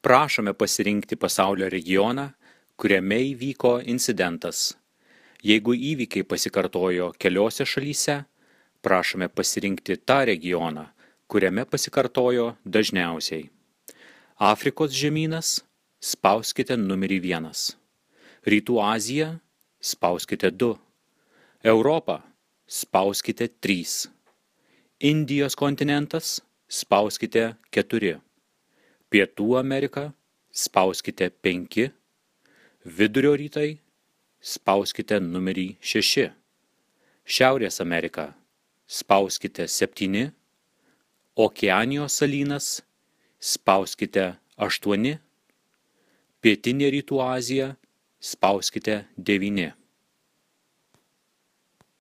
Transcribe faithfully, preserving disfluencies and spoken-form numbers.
Prašome pasirinkti pasaulio regioną, kuriame įvyko incidentas. Jeigu įvykiai pasikartojo keliose šalyse, prašome pasirinkti tą regioną, kuriame pasikartojo dažniausiai. Afrikos žemynas – spauskite numerį vienas. Rytų Azija – spauskite du. Europa – spauskite trys. Indijos kontinentas – spauskite keturi. Pietų Amerika – spauskite penki. Vidurio rytai – spauskite numerį šeši. Šiaurės Amerika – spauskite septyni. Okeanijos salynas – spauskite aštuoni. Pietinė Rytų Azija – spauskite devyni.